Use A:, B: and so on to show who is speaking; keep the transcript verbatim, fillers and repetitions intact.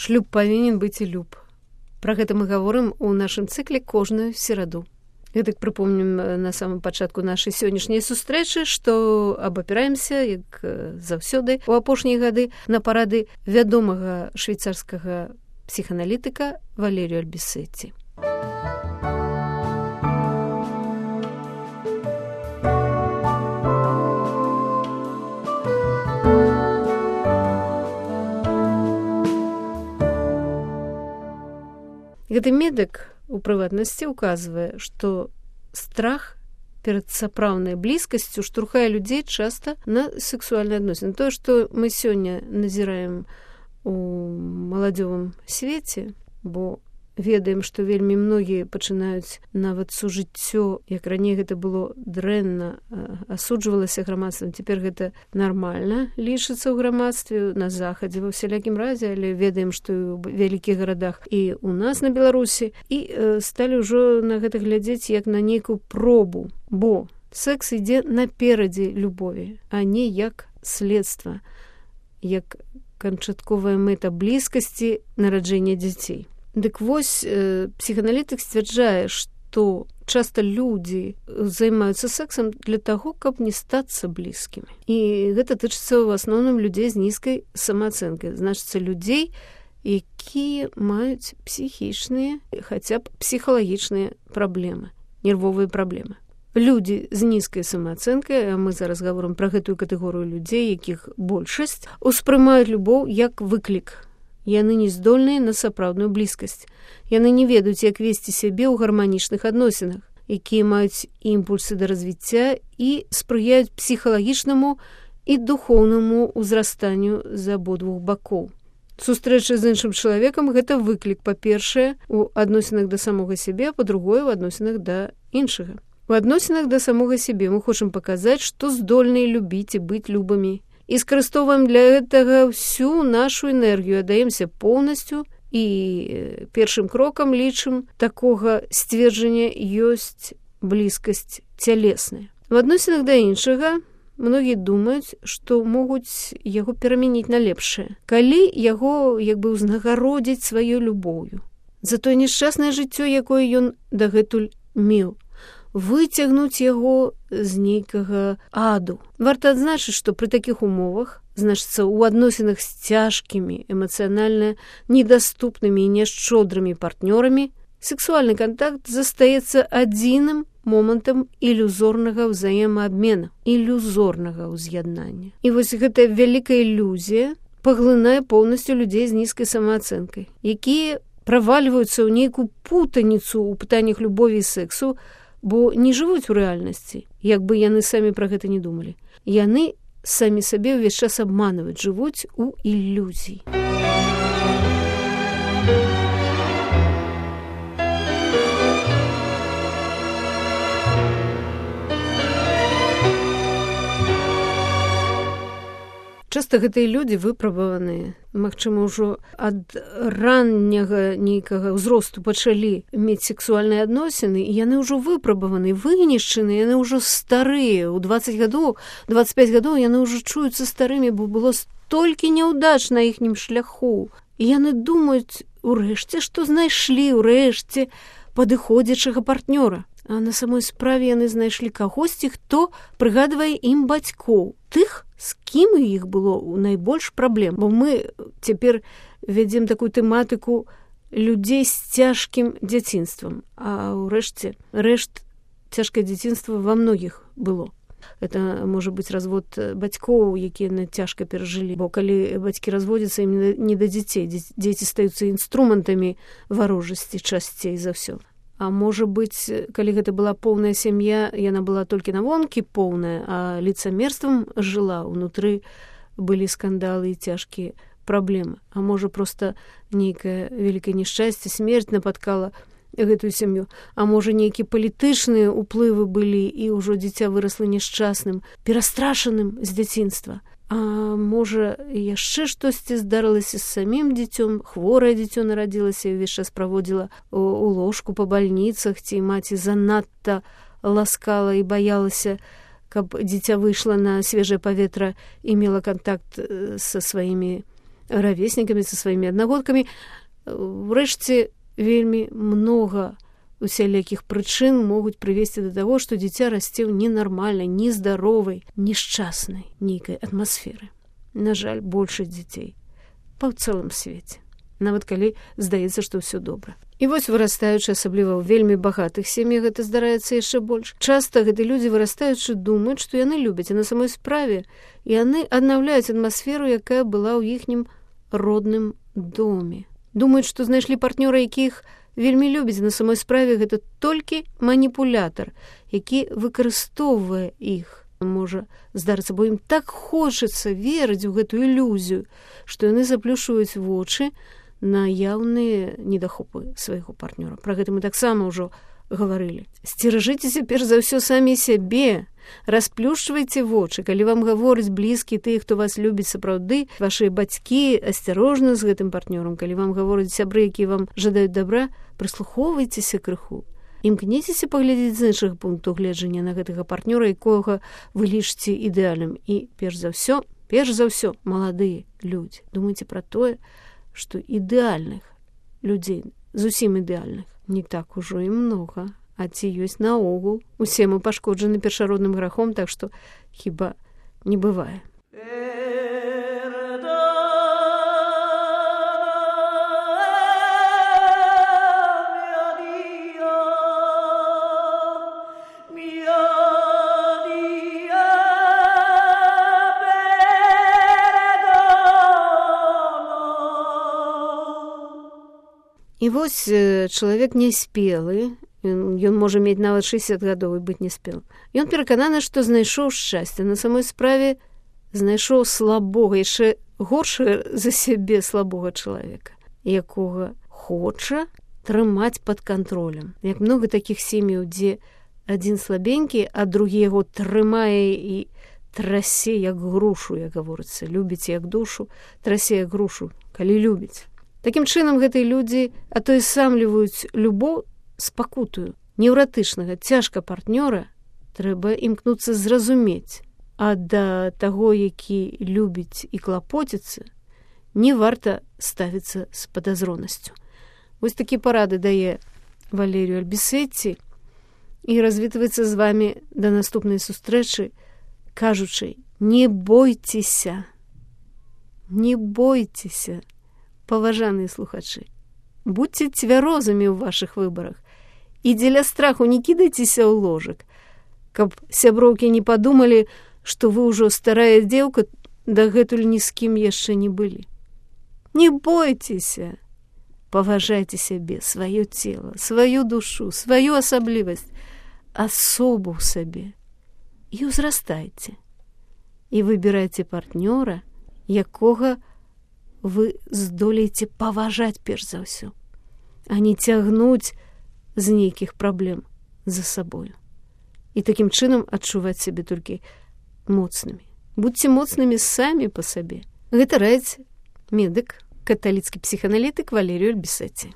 A: Шлюб павінен быць і люб. Пра гэта мы гаворым у нашым цыкле кожную сераду. Гэтак прыпомнім на самым пачатку нашай сённяшняй сустрэчы, што абапіраемся, як заўсёды, у апошнія гады на парады вядомага швейцарскага псіханалітыка Валерію Альбісетці. Гэты медык у прыватнасці указвае, што страх перад сапраўднай блізкасцю штурхае людзей часта на сексуальныя адносіны. Тое, што мы сёння назіраем у маладзёвым свеце, бо ведаем, што вельмі многія пачынаюць нават сужыццё, як раней гэта было дрэнна, асуджвалася грамадствам, цяпер гэта нармальна лічыцца ў грамадстве, на захадзе ва ўсялякім разе, але ведаем, што і ў вялікіх гарадах і у нас на Беларусі, і э, сталі ўжо на гэта глядзець як на нейкую пробу, бо секс ідзе наперадзе любові, а не як следства, як канчатковая мэта блізкасці нараджэння дзяцей. Дык вось, э, псіханалітык сцвярджае, што часта людзі займаюцца сексам для таго, каб не стацца блізкімі. І гэта тычыцца ў асноўным людзей з нізкай самаацэнкай. Значыцца, людзей, якія маюць псіхічныя, хаця б псіхалагічныя праблемы, нервовыя праблемы. Людзі з нізкай самаацэнкай, а мы зараз гаворым пра гэтую катэгорыю людзей, якіх большасць, успрымаюць любоў як выклік. Яны не здольныя на сапраўдную блізкасць. Яны не ведаюць, як весці сябе ў гарманічных адносінах, якія маюць імпульсы да развіцця і спрыяюць псіхалагічнаму і духоўнаму ўзрастанню з абодвух бакоў. Сустрэча з іншым чалавекам – гэта выклік, па-першае, у адносінах да самога сябе, а па-другое, у адносінах да іншага. У адносінах да самога сябе мы хочам паказаць, што здольныя любіць і быць любымі. І скарыстоўваем для гэтага всю нашу энергію, аддаемся поўнасцю і першым крокам лічым такога сцверджання ёсць блізкасць цялесная. В адносінах да іншага многія думаюць, што могуць яго перамяніць на лепшае, калі яго як бы ўзнагародзіць сваёй любоўю за тое няшчаснае жыццё, якое ён дагэтуль меў, выцягнуць яго з нейкага аду. Варта адзначыць, што пры такіх умовах, значыцца, у адносінах з цяжкімі, эмацыянальна недаступнымі і няшчодрымі партнёрамі, сексуальны кантакт застаецца адзіным момантам ілюзорнага ўзаемаабмена, ілюзорнага ўз'яднання. І вось гэтая вялікая ілюзія паглынае поўнасцю людзей з нізкай самаацэнкай, якія правальваюцца ў нейкую путаніцу ў пытаннях любові і сексу, бо не жывуць у рэальнасці, як бы яны самі пра гэта не думалі. Яны самі сабе ўвесь час абманваюць, жывуць у ілюзіі. Часта гэтыя людзі выпрабаваныя, магчыма, ўжо ад ранняга нейкага ўзросту пачалі мець сексуальныя адносіны, і яны ўжо выпрабаваны, вынішчаны, яны ўжо старыя. У дваццаць гадоў, дваццаць пяць гадоў яны ўжо чуюцца старымі, бо было столькі няўдач на іхнім шляху. І яны думаюць, урэшце, што знайшлі, урэшце, падыходзячага партнёра. А на самой справе яны знайшлі кагосьці, хто прыгадвае ім бацькоў, тых, з кім у іх было найбольш праблем. Бо мы цяпер вядзем такую тэматыку людзей з цяжкім дзяцінствам, а ўрэшце рэшт цяжкае дзяцінства ва многіх было. Это можа быць развод бацькоў, якія на цяжка перажылі, бо калі бацькі разводзяцца, ім не да дзяцей, дзеці стаюцца інструментамі варожасці часцей за ўсё. А можа быць, калі гэта была поўная сям'я, яна была толькі навонкі поўная, а лицамерствам жыла, унутры былі скандалы і цяжкія праблемы. А можа, проста нейкае вялікае няшчасце, смерць напаткала гэтую сям'ю. А можа, нейкія палітычныя ўплывы былі, і ўжо дзіця вырасла няшчасным, перастрашаным з дзяцінства. А можа, яшчэ штосьці здарылася з самім дзіцём, хворае дзіцё нарадзілася і ўвесь час праводзіла у ложку па бальніцах, ці маці занадта ласкала і баялася, каб дзіця выйшла на свежае паветра і мела кантакт са сваімі равеснікамі, са сваімі аднагодкамі. Урэшце, вельмі многа усялякіх прычын могуць прывесці да таго, што дзіця расце ў ненармальнай, нездаровай, нешчаснай нейкай атмасферы. На жаль, большасць дзяцей па цэлым свеце, нават калі здаецца, што ўсё добра. І вось вырастаючы, асабліва ў вельмі багатых сем'ях, гэта здараецца яшчэ больш. Часта гэты людзі, вырастаючы, думаюць, што яны любяць, а на самой справе яны аднаўляюць атмасферу, якая была ў іхнім родным доме. Думаюць, што знайшлі партнёра, якіх вельмі любіць, на самой справе гэта толькі маніпулятар, які выкарыстоўвае іх. Можа здарыцца, бо ім так хочацца верыць у гэту ілюзію, што яны заплюшваюць вочы на яўныя недахопы свайго партнёра. Пра гэта мы таксама ўжо гаварылі. Сцеражыцеся перш за ўсё самі сябе, расплюшчвайце вочы, калі вам гавораць блізкі тыя, хто вас любіць сапраўды, вашыя бацькі, асцярожна з гэтым партнёрам, калі вам гавораць сябры, якія вам жадаюць добра, прыслухоўвайцеся крыху. Імкніцеся паглядзець з іншых пунктаў гледжання на гэтага партнёра, якога вы лічыце ідэальным. І перш за ўсё, перш за ўсё, маладыя людзі, думайце пра тое, што ідэальных людзей, зусім ідэальных, не так ужо і многа, а ці ёсць наогул. Усе мы пашкоджаны першародным грахом, так што хіба не бывае. І вось чалавек няспелы, ён можа мець нават шэсцьдзесят гадоў і быць няспелым. Ён перакананы, што знайшоў шчасце. На самой справе знайшоў слабога, яшчэ горшае за сябе слабога чалавека, якога хоча трымаць пад кантролем. Як многа такіх сем'яў, дзе адзін слабенькі, а другі яго трымае і трасе як грушу, як гаворыцца, любіць як душу, трасе як грушу, калі любіць. Такім чынам, гэтыя людзі атойсамліваюць любоў з пакутаю. Неўратычнага, цяжка партнёра трэба імкнуцца зразумець, а да таго, які любіць і клапоціцца, не варта ставіцца з падазронасцю. Вось такі парады дае Валерію Альбісетці і развітваецца з вамі да наступнай сустрэчы, кажучы: не бойцеся, не бойцеся, паважаныя слухачы, будьце цвярозамі ў вашых выбарах і дзеля страху не кідайцеся ў ложак, каб сяброўкі не падумалі, што вы ўжо старая дзеўка, дагэтуль ні з кім яшчэ не былі. Не бойцеся, паважайце сябе, сваё цела, сваю душу, сваю асаблівасць, асобу ў сабе і ўзрастайце. І выбірайце партнёра, якога вы здолееце паважаць перш за ўсё, а не цягнуць з нейкіх праблем за сабою. І такім чынам адчуваць сябе толькі моцнымі. Будьце моцнымі самі па сабе. Гэта раіць медык, каталіцкі псіханалітык Валерію Альбісетці.